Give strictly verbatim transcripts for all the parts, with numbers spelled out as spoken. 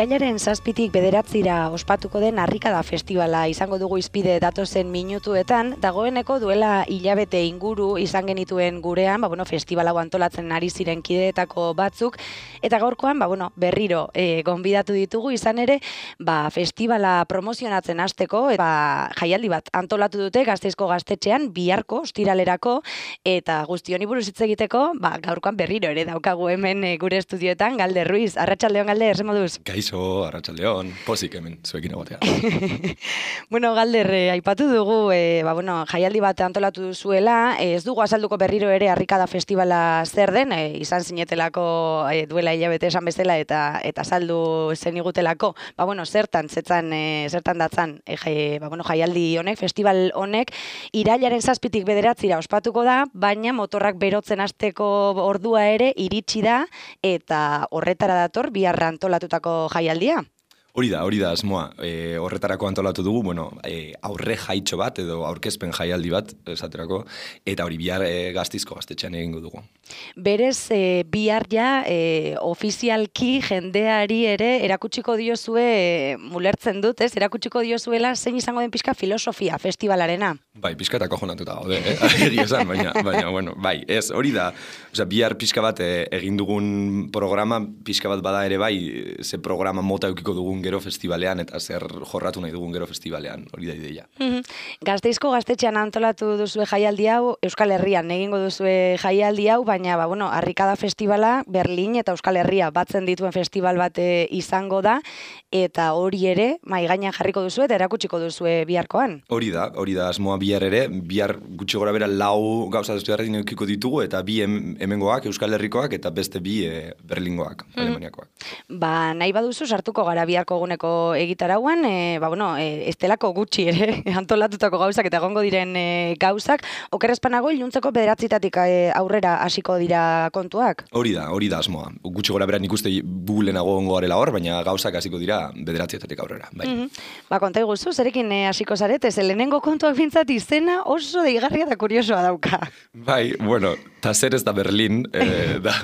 Irailaren zazpitik bederatzira ospatuko den Harrikada Festivala izango dugu izpide datozen minutuetan, dagoeneko duela hilabete inguru izan genituen gurean, ba, bueno, festival hau antolatzen ari ziren kideetako batzuk, eta gaurkoan ba, bueno, berriro e, gonbidatu ditugu izan ere, ba, festivala promozionatzen hasteko, ba, jaialdi bat antolatu dute Gasteizko gaztetxean biharko, ostiralerako, eta guzti honi buruz hitz egiteko, ba, gaurkoan berriro ere daukagu hemen e, gure estudioetan, Galder Ruiz. Arratsaldeon, Galder, zer moduz? Kaixo, arratsaldeon, pozik hemen, zuekin egotea. Bueno, Galder, eh, aipatu dugu, eh, ba, bueno, jaialdi bat antolatu duzuela, eh, ez dugu azalduko berriro ere Harrikada Festivala zer den, eh, izan zinetelako eh, duela hilabete esan bezala eta eta saldu zen igutelako, ba, bueno, zertan, zetzan, eh, zertan datzan, eh, jai, ba, bueno, jaialdi honek, festival honek, irailaren zazpitik bederatzira ospatuko da, baina motorrak berotzen hasteko ordua ere iritsi da, eta horretara dator biharra antolatutako jaialdia. Hori da, hori da asmoa. E, horretarako antolatu dugu, bueno, e, aurre jaitxo bat edo aurkezpen jaialdi bat, esaterako, eta hori bihar e, Gasteizko gaztetxean egingo dugu. Berez, e, bihar ja, e, ofizialki jendeari ere erakutsiko diozue, e, mulertzen dut, ez? Erakutsiko diozuela zein izango den pixka filosofia festivalarena. Bai, pixka eta kojonatuta gaude, eh? Egia esan, baina, baina, bueno, bai, ez, hori da, osea, bihar pixka bat e, egin dugun programa, pixka bat bada ere bai, ze programa mota eukiko dugun gero festivalean eta zer jorratu nahi dugun gero festivalean, hori da ideia. Mm-hmm. Gasteizko gaztetxean antolatu duzue jaialdi hau, Euskal Herrian egingo duzue jaialdi hau, baina ba, bueno, Harrikada Festivala Berlin eta Euskal Herria batzen dituen festival bat izango da, eta hori ere mai gainean jarriko duzue eta erakutsiko duzue biharkoan. Hori da, hori da asmoa bihar ere, bihar gutxi gora bera lau gauza estudiarrekin eukiko ditugu, eta bi hemengoak, Euskal Herrikoak, eta beste bi e, Berlingoak, mm. Alemaniakoak. Ba, nahi baduzu sartuko gara biharko eguneko egitarauan, e, ba, bueno, e, estelako gutxi ere antolatutako gauzak eta egongo diren e, gauzak, okerrezpanago iluntzeko bederatzitatik e, aurrera hasiko dira kontuak? Hori da, hori da asmoa. Gutxi gora bera nik uste bulenago ongo garela hor, baina gauzak hasiko dira bederatzietatik aurrera. Bai. Mm-hmm. Ba, konta iguzu, zerekin e, hasiko zarete, ze lehenengo kontuak bintzat izena oso deigarria eta kuriosoa dauka. Bai, bueno, eta zer ez da Berlin, e, da,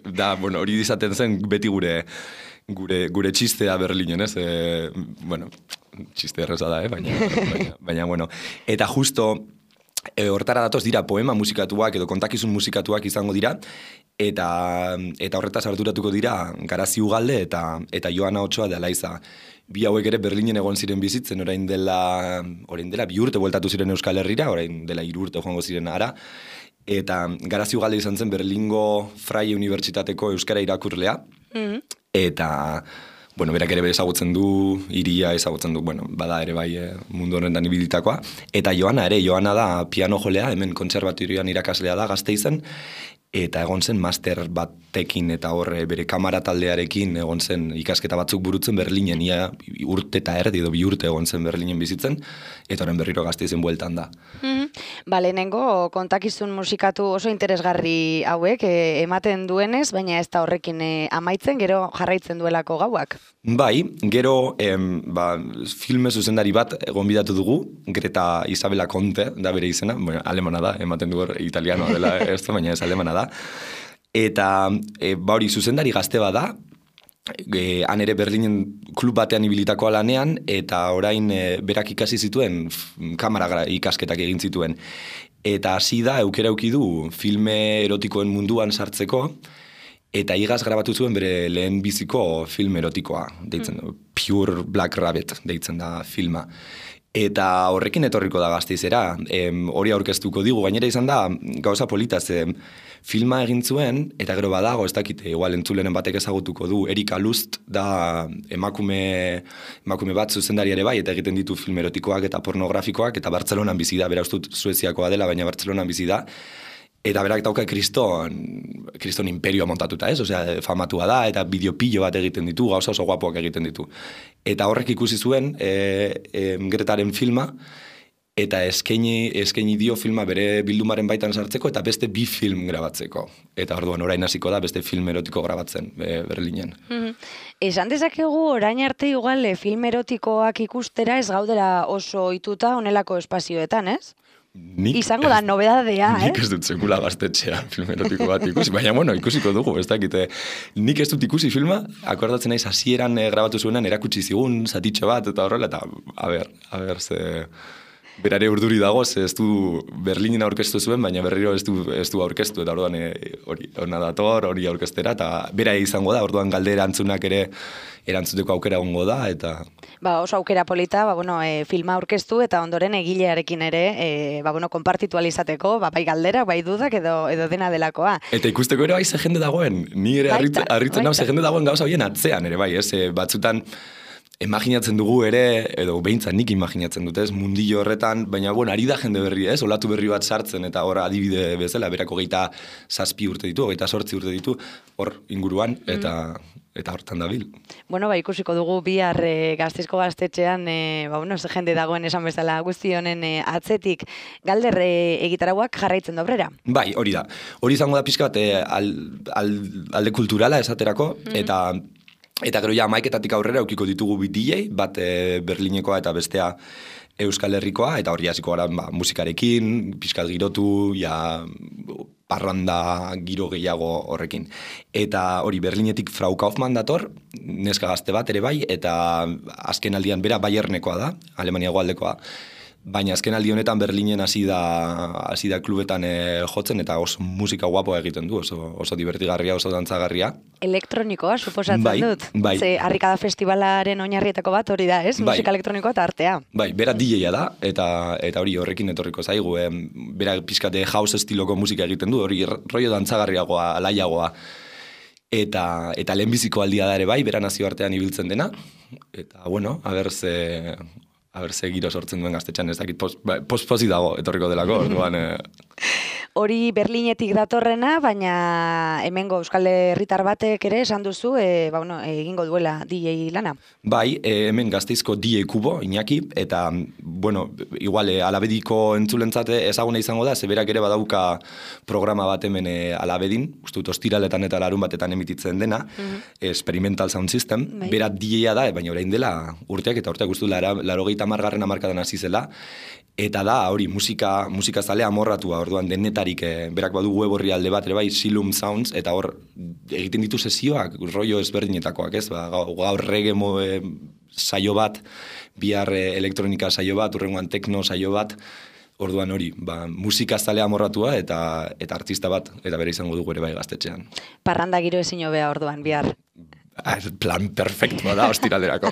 da, bueno, hori dizaten zen beti gure Gure, gure txistea Berlinen, ez? E, bueno, txiste erreza da, eh? baina, baina, baina, bueno. Eta justo, e, hortara datoz dira poema musikatuak edo kontakizun musikatuak izango dira, eta, eta horretaz arduratuko dira Garazi Ugalde eta, eta Joana Otsoa de Alaiza. Bi hauek ere Berlinen egon ziren bizitzen, orain dela, orain dela bi urte bueltatu ziren Euskal Herrira, orain dela hiru urte joango ziren ara, eta Garazi Ugalde izan zen Berlingo Freie Unibertsitateko euskara irakurlea, mm-hmm. Eta, bueno, berak ere ezagutzen du, iria ezagutzen du, bueno, bada ere bai e, mundu honetan ibilitakoa. Eta Joana ere, Joana da piano jolea, hemen kontserbatorioan irakaslea da Gasteizen, eta egon zen master batekin eta horre bere kamara taldearekin egon zen ikasketa batzuk burutzen Berlinen, ia urte eta erdi edo bi urte egon zen Berlinen bizitzen, eta horren berriro Gasteizen bueltan da. Mm-hmm. Ba, lehenengo kontakizun musikatu oso interesgarri hauek e, ematen duenez, baina ez da horrekin e, amaitzen, gero jarraitzen duelako gauak. Bai, gero em, ba, filme zuzendari bat gonbidatu dugu, Greta Isabela Conte, da bere izena, bueno, alemana da, ematen du hor italianoa dela ez da, baina ez alemana da. Eta e, ba hori zuzendari gazte bada, e, han ere Berlinen klub batean ibilitako lanean, eta orain e, berak ikasi zituen, kamara ikasketak egin zituen. Eta hasi da, eukera euki du filme erotikoen munduan sartzeko, eta igaz grabatu zuen bere lehen biziko film erotikoa, deitzen du, Pure Black Rabbit, deitzen da filma. Eta horrekin etorriko da Gasteizera, em, hori aurkeztuko digu, gainera izan da, gauza politaz, em, filma egin zuen, eta gero badago, ez dakite, igual entzulenen batek ezagutuko du, Erika Lust da emakume, emakume bat zuzendari ere bai, eta egiten ditu film erotikoak eta pornografikoak, eta Bartzelonan bizi da, bera ustut Sueziakoa dela, baina Bartzelonan bizi da, eta berak dauka kriston, kriston imperioa montatuta, ez? Osea, famatua da, eta bideopillo bat egiten ditu, gauza oso guapoak egiten ditu. Eta horrek ikusi zuen, e, e, Gretaren filma, eta eskaini, eskaini dio filma bere bildumaren baitan sartzeko, eta beste bi film grabatzeko. Eta orduan orain hasiko da, beste film erotiko grabatzen e, Berlinen. Mm-hmm. Esan dezakegu orain arte igual film erotikoak ikustera ez gaudela oso ohituta honelako espazioetan, ez? Nik, izango da nobedadea, eh? Nik ez dut sekula gaztetxea film erotiko bat ikusi, baina bueno, ikusiko dugu, ez dakite. Nik ez dut ikusi filma, akordatzen naiz hasieran eh, grabatu zuenan erakutsi zigun, zatitxo bat, eta horrela, eta a ber, a ber, ze... Berare urduri dago, ze ez du Berlinen aurkeztu zuen, baina berriro ez du, ez du aurkeztu, eta orduan hori ona dator, hori aurkeztera, eta bera izango da, orduan galdera antzunak ere erantzuteko aukera ongo da, eta... Ba, oso aukera polita, ba, bueno, e, filma aurkeztu, eta ondoren egilearekin ere, e, ba, bueno, konpartitu alizateko, ba, bai galderak, bai dudak, edo, edo dena delakoa. Eta ikusteko ere bai ze jende dagoen, ni ere harritzen nau ze jende dagoen gauza bien atzean ere bai, ez, e, batzutan... Imaginatzen dugu ere, edo behintzat nik imaginatzen dut ez, mundillo horretan, baina bueno, ari da jende berri ez, olatu berri bat sartzen, eta hor adibide bezala, berako geita zazpi urte ditu, geita sortzi urte ditu, hor inguruan, eta mm. eta hortan dabil. Bueno, ba, ikusiko dugu bihar e, Gasteizko gaztetxean, e, ba, bueno, ze jende dagoen esan bezala guzti honen e, atzetik, Galder e, egitarauak jarraitzen dobrera? Bai, hori da. Hori izango da pixka bat e, al, al, alde kulturala esaterako, mm. eta Eta gero ja amaiketatik aurrera eukiko ditugu bi D J, bat e, Berlinekoa eta bestea Euskal Herrikoa, eta hori hasiko gara ba, musikarekin, pixkat girotu, ja parranda giro gehiago horrekin. Eta hori Berlinetik Frau Kaufmann dator, neska gazte bat ere bai, eta azken aldian bera Bayernekoa da, Alemania goaldekoa. Baina azken aldi honetan Berlinen hasi da hasi da klubetan e, jotzen eta oso musika guapoa egiten du, oso, oso divertigarria, oso dantzagarria. Elektronikoa, suposatzen bai, dut. Bai. Ze Harrikada Festivalaren oinarrietako bat hori da, ez? Bai. Musika elektronikoa eta artea. Bai, bera D J-a da, eta eta hori horrekin etorriko zaigu. E, bera pizkate house estiloko musika egiten du, hori rollo dantzagarriagoa, alaiagoa. Eta, eta lehenbiziko aldia da ere bai, bera nazioartean ibiltzen dena. Eta, bueno, a ber ze... Aber, ze giro sortzen duen gaztetxan, ez dakit pospozi dago, etorriko delako, orduan... Hori Berlinetik datorrena, baina hemengo Euskal Herritar batek ere esan duzu, e, ba, bueno, egingo duela D J lana. Bai, e, hemen Gasteizko D J Kubo, Iñaki, eta, bueno, igual, e, Alabediko entzulentzate ezaguna izango da, zeberak ere badauka programa bat hemen e, Alabedin, uste dut ostiraletan eta larun batetan emititzen dena, mm-hmm. Experimental Sound System, bai. Bera D J-a da, baina orain dela urteak, eta urteak uste dut, laro gehieta margarren amarkadan hasi zela, eta da, hori, musika, musika zale amorratua, orduan denetarik, e, berak badu web horri alde bat, ere bai, Silum Sounds, eta hor, egiten ditu sesioak, rollo ezberdinetakoak, ez, ba, gaur reggae mo, e, saio bat, bihar e, elektronika saio bat, urrengoan tekno saio bat, orduan hori, ba, musika zale amorratua, eta, eta artista bat, eta bere izango dugu ere bai gaztetxean. Parranda giro ezin hobea orduan, bihar. Plan perfektua da, ostiralderako.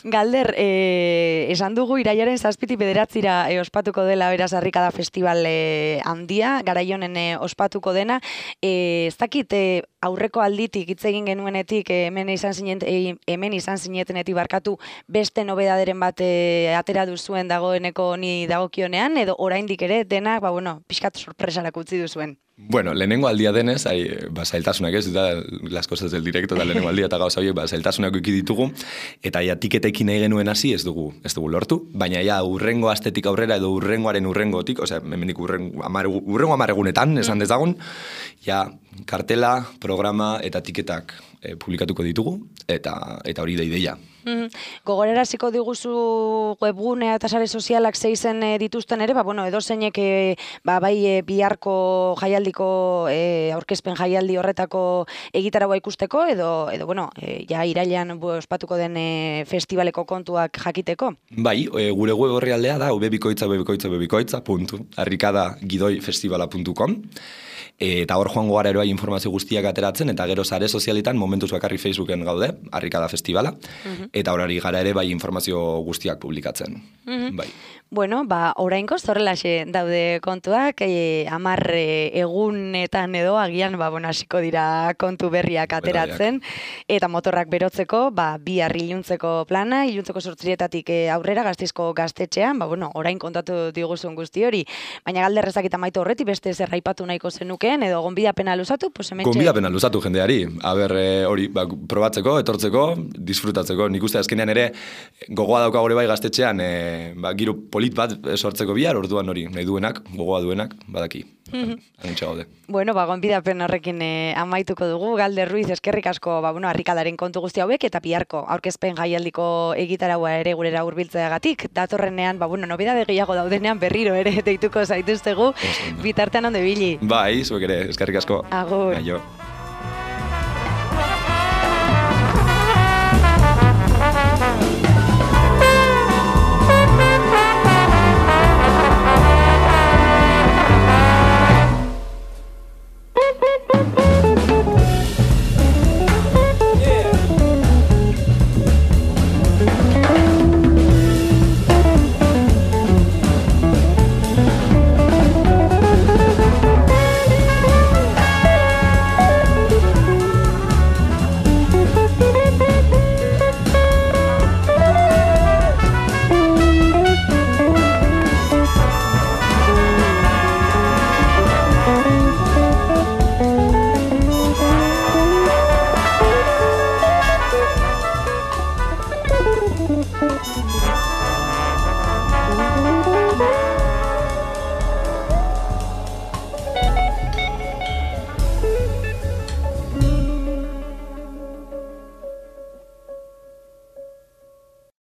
Galder, eh, esan dugu iraiaren zazpiti bederatzira eh, ospatuko dela beraz Harrikada Festival eh, handia, garaionen eh, ospatuko dena. Eh, ez dakit eh, aurreko alditik hitz egin genuenetik eh, hemen izan zinen, eh, hemen izan zinetenetik barkatu beste nobedaderen bat eh, atera duzuen dagoeneko ni dagokionean, edo oraindik ere denak, ba, bueno, pixkat sorpresarak utzi duzuen. Bueno, lehenengo aldia denez, hai, ba, zailtasunak ez, eta las cosas del directo, eta lehenengo aldia eta gauza horiek, ba, zailtasunak eki ditugu, eta ja, tiketekin nahi genuen hasi ez dugu, ez dugu lortu, baina ja, urrengo astetik aurrera, edo urrengoaren urrengotik, osea, hemendik urrengo amare, urrengo amaregunetan, esan dezagun, ja, kartela, programa eta tiketak e, publikatuko ditugu, eta eta hori da ideia. Mm, gogoraraziko diguzu webgunea eta sare sozialak zeizen e, dituzten ere, ba, bueno, edo zeinek e, ba, bai e, biharko jaialdiko e, aurkezpen jaialdi horretako egitaragoa ikusteko, edo, edo bueno, e, ja irailean ospatuko den e, festivaleko kontuak jakiteko? Bai, e, gure web horri aldea da, ubebikoitza, ubebikoitza, ubebikoitza, puntu, harrikada gidoi festivala puntu com. Eta hor joango gara eroa informazio guztiak ateratzen, eta gero sare sozialitan momentuz bakarri Facebooken gaude, Harrikada Festivala, uh-huh. Eta horari gara ere bai informazio guztiak publikatzen. Uh-huh. Bai. Bueno, ba, orainkoz horrelaxe daude kontuak, e, amar e, egunetan edo agian, ba, bueno, hasiko dira kontu berriak ateratzen, eta motorrak berotzeko, ba, bihar iluntzeko plana, iluntzeko sortzirietatik e, aurrera Gasteizko gaztetxean, ba, bueno, orain kontatu diguzun guzti hori, baina galderrezak eta maitu horreti beste zer aipatu nahiko zenukeen, edo gonbidapena luzatu, pues hementxe... Gonbidapena luzatu jendeari, aber, e, hori, ba, probatzeko, etortzeko, disfrutatzeko, nik uste azkenean ere, gogoa dauka gore bai gaztetxean, e, ba, giro polit bat sortzeko bihar, orduan hori, nahi duenak, gogoa duenak, badaki. Anitxe gaude. Bueno, ba, gonbidapen horrekin eh, amaituko dugu. Galder Ruiz, eskerrik asko, ba, bueno, harrikadaren kontu guzti hauek, eta biharko aurkezpen jaialdiko egitaraua ere gurera hurbiltzeagatik. Datorrenean, ba, bueno, nobedade gehiago daudenean berriro ere deituko zaituztegu, bitartean onde bili. Bai, zuek ere, eskerrik asko. Agur. Aio.